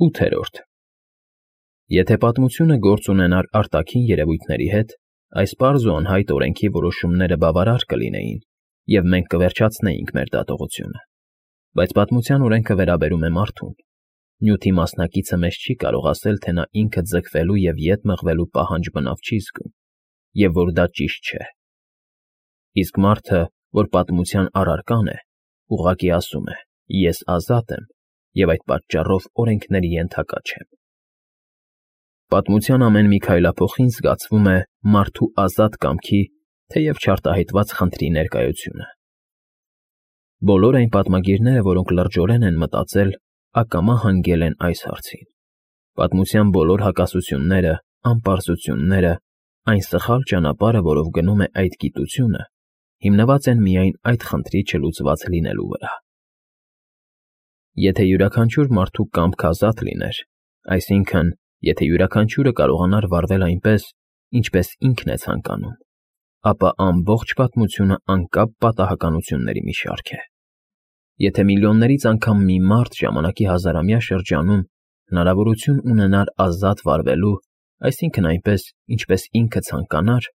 8-րդ Եթե պատմությունը գործ ունենար արտաքին երևույթների հետ, այս պարզ ու անհայտ օրենքի որոշումները բավարար կլինեին, և մենք կվերջացնեինք մեր դատողությունը, բայց պատմության օրենքը վերաբերում է մարդուն, նյութի մասնակիցը մեզ չի կարող ասել, թե նա ինքը ձգվելու և ետ մղվելու պահանջ բնավ չի զգում, և որ դա ճիշտ չէ։ Իսկ մարդը, որ պատմության առարկան է, ուղղակի ասում է. «Ես ազատ եմ, և այդ պատճառով օրենքների ենթակա չեմ»։ Պատմության ամեն մի քայլափոխին զգացվում է մարդու ազատ կամքի, թեև չարտահայտված խնդրի ներկայությունը։ Բոլոր այն պատմագիրները, որոնք լրջորեն են մտածել, ակամա հանգել են այս հարցին. պատմության բոլոր հակասությունները, անպարզությունները, այն սխալ ճանապարհը, որով գնում է այդ գիտությունը, հիմնված են միայն այդ խնդրի չլուծված լինելու վրա։ Եթե յուրաքանչյուր մարդու կամքը ազատ լիներ, այսինքն, եթե յուրաքանչյուրը կարողանար վարվել այնպես, ինչպես ինքն է ցանկանում, ապա ամբողջ պատմությունը անկապ պատահականությունների մի շարք է։ Եթե միլիոններից անգամ մի մարդ ժամանակի հազարամյա շրջանում հնարավորություն ունենար ազատ վարվելու, այսինքն այնպես, ինչպես ինքը ցանկանար,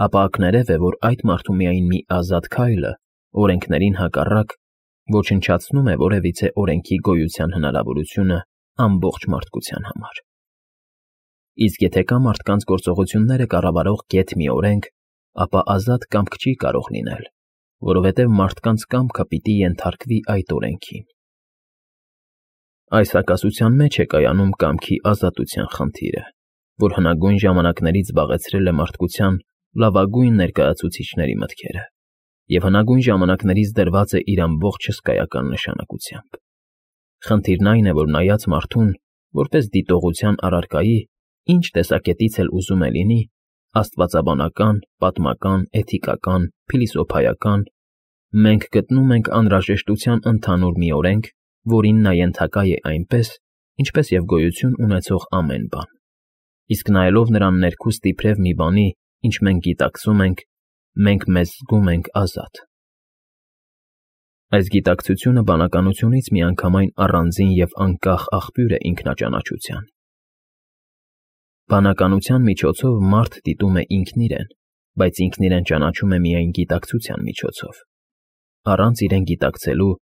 ապա ակներև է, որ այդ մարդու միայն մի ազատ քայլը, օրենքներին հակառակ, ոչնչացնում է որևիցե օրենքի գոյության հնարավորությունը ամբողջ մարդկության համար։ Իսկ եթե կա մարդկանց գործողությունները կառավարող գեթ մի օրենք, ապա ազատ կամք չի կարող լինել, որովհետև մարդկանց կամքը պիտի ենթարկվի այդ օրենքին։ Այս հակասության մեջ է կայանում կամքի ազատության խնդիրը, որ հնագույն ժամանակներից զբաղեցրել է մարդկության լավագույն ներկայացուցիչների մտքերը և հնագույն ժամանակներից դրված է իր ամբողջ հսկայական նշանակությամբ։ Խնդիրն այն է, որ նայած մարդուն, որպես դիտողության առարկայի, ինչ տեսակետից էլ ուզում է լինի, աստվածաբանական, պատմական, էթիկական, փիլիսոփայական, մենք գտնում ենք անհրաժեշտության ընդհանուր մի օրենք, որին նա ենթակա է այնպես, ինչպես և գոյություն ունեցող ամեն բան։ Իսկ նայելով նրան ներքուստ իբրև մի բանի, ինչ մենք գիտակցում ենք, մենք մեզ զգում ենք ազատ։ Այս գիտակցությունը բանականությունից միանգամայն առանձին և անկախ աղբյուր է ինքնաճանաչության։ Բանականության միջոցով մարդ դիտում է ինքն իրեն, բայց ինքն իրեն ճանաչում է միայն գիտակցության միջոցով։ Առանց իրեն գիտակցելու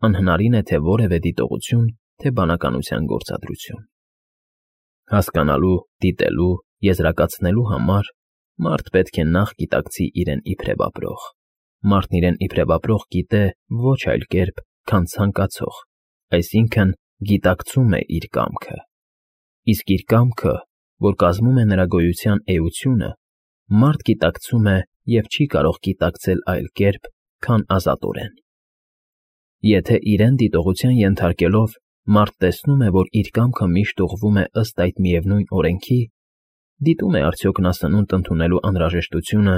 անհնարին է թե որևէ դիտողություն, թե բանականության գործադրություն։ Հասկանալու, դիտելու, եզրակացնելու համար մարդ պետք է նախ գիտակցի իրեն իբրև ապրող։ Մարդն իրեն իբրև ապրող գիտե ոչ այլ կերպ, քան ցանկացող, այսինքն գիտակցում է իր կամքը։ Իսկ իր կամքը, որ կազմում է նրա գոյության էությունը, մարդ գիտակցում է և չի կարող գիտակցել այլ կերպ, քան ազատորեն։ Եթե իրեն դիտողության ենթարկելով մարդ տեսնում է, որ իր կամքը միշտ ուղղվում է ըստ այդ միևնույն օրենքի, դիտում է արդյոք նա սնունդ ընդունելու անհրաժեշտությունը,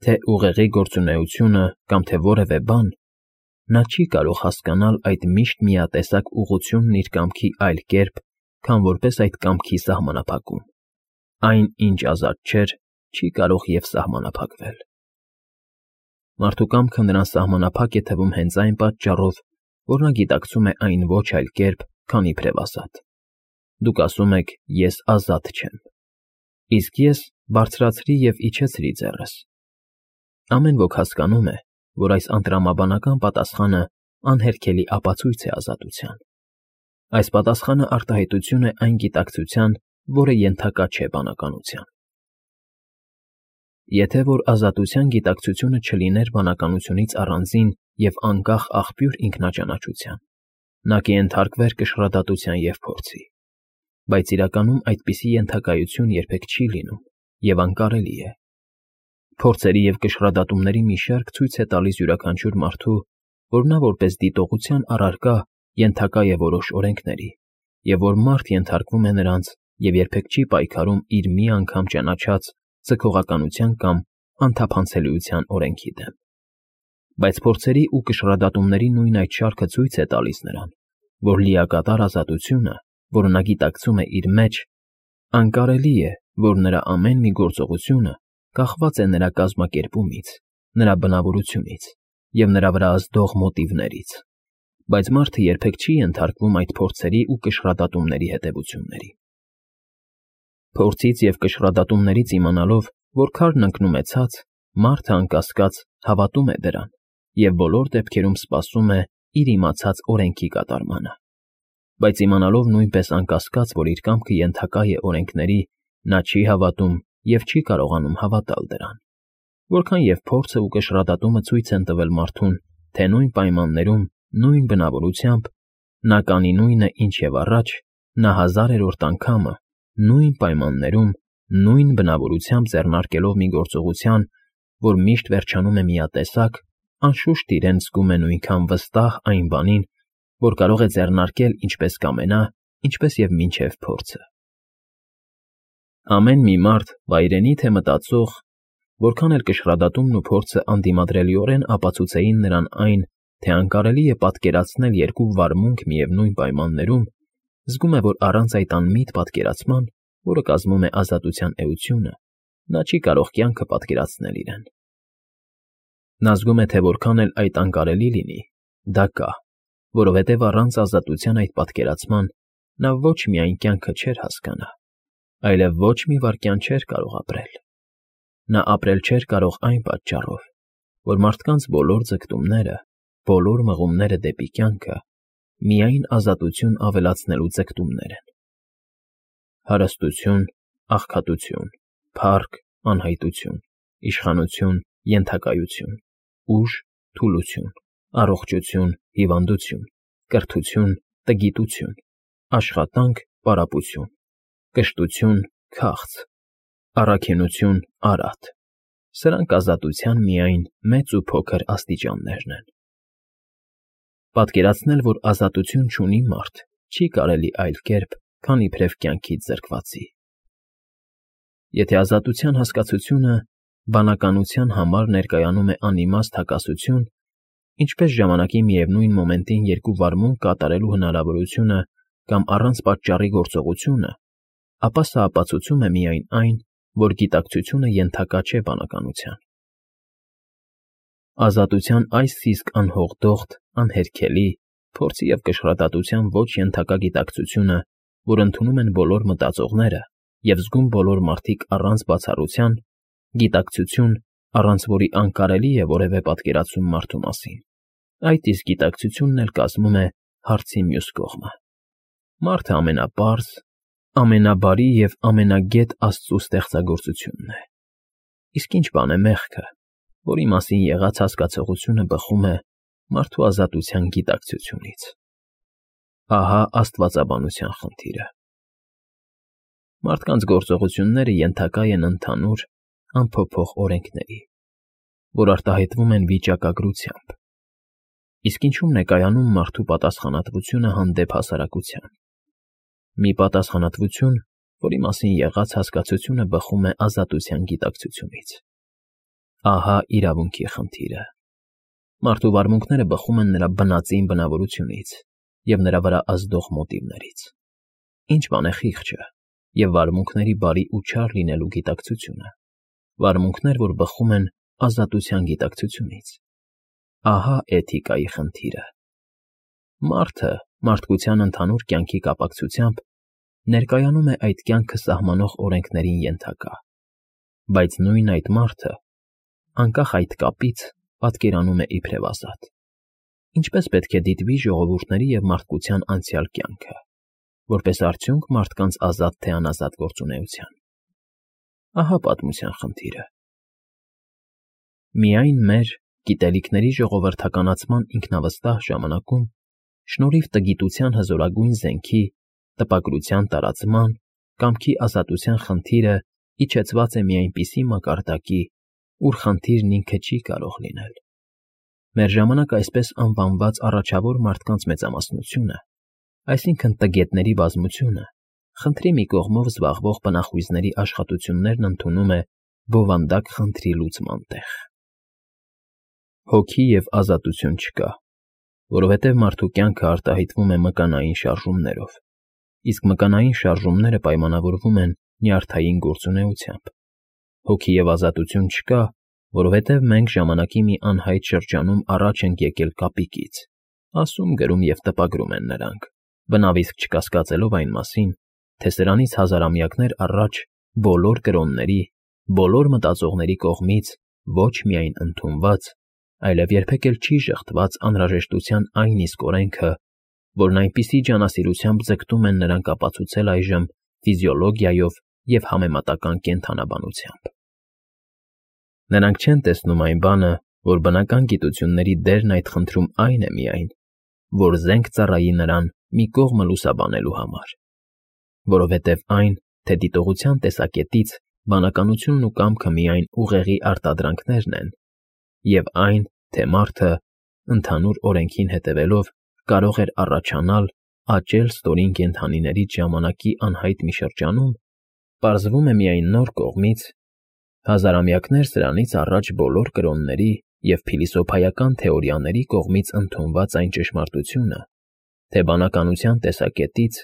թե ուղեղի գործունեությունը կամ թե որևէ բան, նա չի կարող հասկանալ այդ միշտ միատեսակ ուղղությունն իր կամքի այլ կերպ, քան որպես այդ կամքի սահմանափակում։ Այն, ինչ ազատ չէր, չի կարող և սահմանափակվել։ Մարդու կամքը նրան սահմանափակ է թվում հենց այն պատճառով, որ նա գիտակցում է այն ոչ այլ կերպ, քան իբրև ազատ։ Դուք ասում եք. «Ես ազատ չեմ»։ Իսկ ես բարձրացրի և իջեցրի ձեռս։ Ամեն ոք հասկանում է, որ այս անտրամաբանական պատասխանը անհերքելի ապացույց է ազատության։ Այս պատասխանը արտահայտություն է այն գիտակցության, որը ենթակա չէ բանականության։ Եթե որ ազատության գիտակցությունը չլիներ բանականությունից առանձին և անկախ աղբյուր ինքնաճանաչության, նա կենթարկվեր կշռադատության և փորձի։ Բայց իրականում այդպիսի ենթակայություն երբեք չի լինում և անկարելի է։ Փորձերի և կշռադատումների մի շարք ցույց է տալիս յուրաքանչյուր մարդու, որ նա որպես դիտողության առարկա ենթակա է որոշ օրենքների, և որ մարդ ենթարկվում է նրանց և երբեք չի պայքարում իր մի անգամ ճանաչած ձգողականության կամ անթափանցելիության օրենքի դեմ։ Բայց փորձերի ու կշռադատումների նույն այդ շարքը ցույց է տալիս նրան, որ լիակատար ազատությունը, որը նա գիտակցում է իր մեջ, անկարելի է, որ նրա ամեն մի գործողությունը կախված է նրա կազմակերպումից, նրա բնավորությունից և նրա վրա ազդող մոտիվներից։ բայց մարդը երբեք չի ենթարկվում այդ փորձերի ու կշռադատումների հետևություններին։ Փորձից և կշռադատումներից իմանալով, որ քարն ընկնում է ցած, մարդը անկասկած հավատում է դրան և բոլոր դեպքերում սպասում է իր իմացած օրենքի կատարմանը։ Բայց իմանալով նույնպես անկասկած, որ իր կամքը ենթակա է օրենքների, նա չի հավատում և չի կարողանում հավատալ դրան։ Որքան և փորձը ու կշռադատումը ցույց են տվել մարդուն, թե նույն պայմաններում, նույն բնավորությամբ, նա կանի նույնը, ինչ և առաջ, նա հազարերորդ անգամը, նույն պայմաններում, նույն բնավորությամբ ձեռնարկելով մի գործողության, որ միշտ վերջանում է միատեսակ, անշուշտ իրեն զգում է նույնքան վստահ այն բանին, որ կարող է ձեռնարկել ինչպես կամենա, ինչպես և մինչև փորձը։ Ամեն մի մարդ, վայրենի թե մտածող, որքան էլ կշռադատումն ու փորձը անդիմադրելիորեն ապացուցեին նրան այն, թե անկարելի է պատկերացնել երկու վարմունք միևնույն պայմաններում, զգում է, որ առանց այդ անմիտ պատկերացման, որը կազմում է ազատության էությունը, նա չի կարող կյանքը պատկերացնել իրեն։ Նա զգում է, թե որքան էլ այդ անկարելի լինի, դա կա, որովհետև առանց ազատության այդ պատկերացման նա ոչ միայն կյանքը չէր հասկանա, այլև ոչ մի վայրկյան չէր կարող ապրել։ Նա ապրել չէր կարող այն պատճառով, որ մարդկանց բոլոր ձգտումները, բոլոր մղումները դեպի կյանքը միայն ազատություն ավելացնելու ձգտումներ են։ Հարստություն, աղքատություն, փառք, անհայտություն, իշխանություն, ենթակայություն, ուժ, թուլություն, առողջություն, հիվանդություն, կրթություն, տգիտություն, աշխատանք, պարապություն, կշտություն, քաղց, առաքինություն, արատ։ Սրանք ազատության միայն մեծ ու փոքր աստիճաններն են։ Պատկերացնել, որ ազատություն չունի մարդ, չի կարելի այլ կերպ, քան իբրև կյանքից զրկվածի։ Եթե ազատության հասկացությունը բանականության համար ներկայանում է անիմաստ հակասություն, ինչպես ժամանակի միևնույն մոմենտին երկու վարմունք կատարելու հնարավորությունը կամ առանց պատճառի գործողությունը, ապա սա ապացուցում է միայն այն, որ գիտակցությունը ենթակա չէ բանականության։ Ազատության այս իսկ անհողդողդ, անհերքելի, փորձի և կշռադատության ոչ ենթակա գիտակցությունը, որ ընդունում են բոլոր մտածողները և զգում բոլոր մարդիկ առանց բացառության, գիտակցություն, առանց որի անկարելի է որևէ պատկերացում մարդու մասին, այդ իսկ գիտակցությունն էլ կազմում է հարցի մյուս կողմը։ Մարդը ամենապարզ, ամենաբարի և ամենագետ Աստծու ստեղծագործությունն է։ Իսկ ինչ բան է մեղքը, որի մասին եղած հասկացողությունը բխում է մարդու ազատության գիտակցությունից։ Ահա աստվածաբանության խնդիրը։ Մարդկանց գործողությունները ենթակա են ընդհանուր, անփոփոխ օրենքների, որ արտահայտվում են վիճակագրությամբ։ Իսկ ինչու՞մն է կայանում մարդու պատասխանատվությունը հանդեպ հասարակության։ Մի պատասխանատվություն, որի մասին եղած հասկացությունը բխում է ազատության գիտակցությունից։ Ահա իրավունքի խնդիրը։ Մարդու վարմունքները բխում են նրա բնածին բնավորությունից և նրա վրա ազդող մոտիվներից։ Ինչ բան է խիղճը և վարմունքների բարի ու չար լինելու գիտակցությունը։ Վարմունքներ, որ բխում են ազատության գիտակցությունից։ Ահա էթիկայի խնդիրը։ Մարդը մարդկության ընդհանուր կյանքի կապակցությամբ ներկայանում է այդ կյանքը սահմանող օրենքներին ենթակա, բայց նույն այդ մարդը, անկախ այդ կապից, պատկերանում է իբրև ազատ։ Ինչպես պետք է դիտվի ժողովուրդների և մարդկության անցյալ կյանքը, որպես արդյունք մարդկանց ազատ թե անազատ գործունեության։ Ահա պատմության խնդիրը։ Միայն մեր գիտելիքների ժողովրդականացման ինքնավստահ ժամանակում, շնորհիվ տգիտության հզորագույն զենքի, տպագրության տարածման, կամքի ազատության խնդիրը իջեցված է մի այնպիսի մակարդակի, ուր խնդիրն ինքը չի կարող լինել։ Մեր ժամանակ այսպես անվանված առաջավոր մարդկանց մեծամասնությունը, այսինքն տգետների բազմությունը, խնդրի մի կողմով զբաղվող բնախույզների աշխատություններն ընդունում է բովանդակ խնդրի լուծման տեղ։ Հոգի և ազատություն չկա, որովհետև մարդու կյանքը արտահայտվում է մկանային շարժումներով, իսկ մկանային շարժումները պայմանավորվում են նյարդային գործունեությամբ։ Հոգի և ազատություն չկա, որովհետև մենք ժամանակի մի անհայտ շրջանում առաջ ենք եկել կապիկից, ասում, գրում և տպագրում են նրանք, բնավ իսկ չկասկածելով այն մասին, թե սրանից հազարամյակներ առաջ բոլոր կրոնների, բոլոր մտածողների կողմից ոչ միայն ընդունված, այլև երբեք էլ չի ժխտված անհրաժեշտության այն իսկ օրենքը, որն այնպիսի ջանասիրությամբ ձգտում են նրանք ապացուցել այժմ ֆիզիոլոգիայով և համեմատական կենդանաբանությամբ։ Նրանք չեն տեսնում այն բանը, որ բնական գիտությունների դերն այդ խնդրում այն է միայն, որ զենք ծառայի նրան մի կողմը լուսաբանելու համար, որովհետև այն, թե դիտողության տեսակետից բանականությունն ու կամքը միայն ուղեղի արտադրանքներն են, և այն, թե մարդը, ընդհանուր օրենքին հետևելով, կարող էր առաջանալ, աճել ստորին կենդանիներից ժամանակի անհայտ մի շրջանում, պարզվում է միայն նոր կողմից, հազարամյակներ սրանից առաջ բոլոր կրոնների և փիլիսոփայական թեորիաների կողմից ընդունված այն ճշմարտությունը, թե բանականության տեսակետից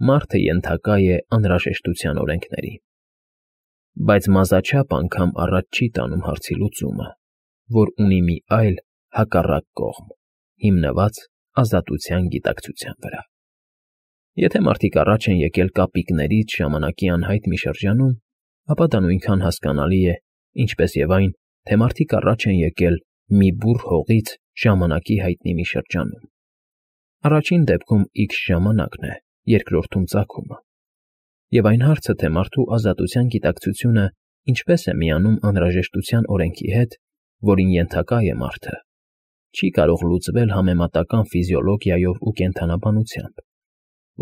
մարդը ենթակա է անհրաժեշտության օրենքներին, բայց մազաչափ անգամ առաջ չի տանում հարցի լուծումը, որ ունի մի այլ հակառակ կողմ, հիմնված ազատության գիտակցության վրա։ Եթե մարդիկ առաջ են եկել կապիկներից ժամանակի անհայտ մի շրջանում, ապա դա նույնքան հասկանալի է, ինչպես և այն, թե մարդիկ առաջ են եկել մի բուռ հողից ժամանակի հայտնի մի շրջանում։ Առաջին դեպքում X ժամանակն է, երկրորդում ծագումը։ Եվ այն հարցը, թե մարդու ազատության գիտակցությունը ինչպես է միանում անհրաժեշտության օրենքի հետ, որին ենթակա է մարդը, չի կարող լուծվել համեմատական ֆիզիոլոգիայով ու կենդանաբանությամբ,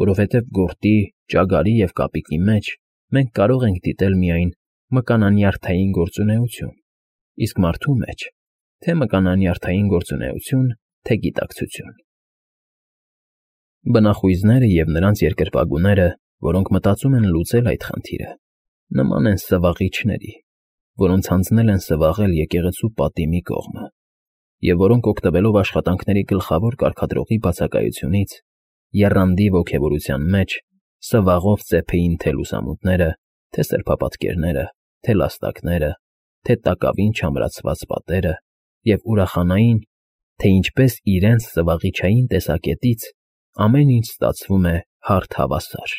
որովհետև գորտի, ճագարի և կապիկի մեջ մենք կարող ենք դիտել միայն մկանանյարդային գործունեություն, իսկ մարդու մեջ թե մկանանյարդային գործունեություն, թե գիտակցություն։ Բնախույզները և նրանց երկրպագուները, որոնք մտածում են լուծել այդ խնդիրը, նման են սվաղիչների, որոնց հանձնել են սվաղել եկեղեցու պատի մի կողմը, և որոնք օգտվելով աշխատանքների գլխավոր կարգադրողի բացակայությունից, եռանդի ոգևորության մեջ, սվաղով ծեփեին թե լուսամուտները, թե սրբապատկերները, թե լաստակները, թե տակավին չամրացված պատերը և ուրախանային, թե ինչպես իրենց սվաղիչային տեսակետից ամեն ինչ ստացվում է հարթ հավասար,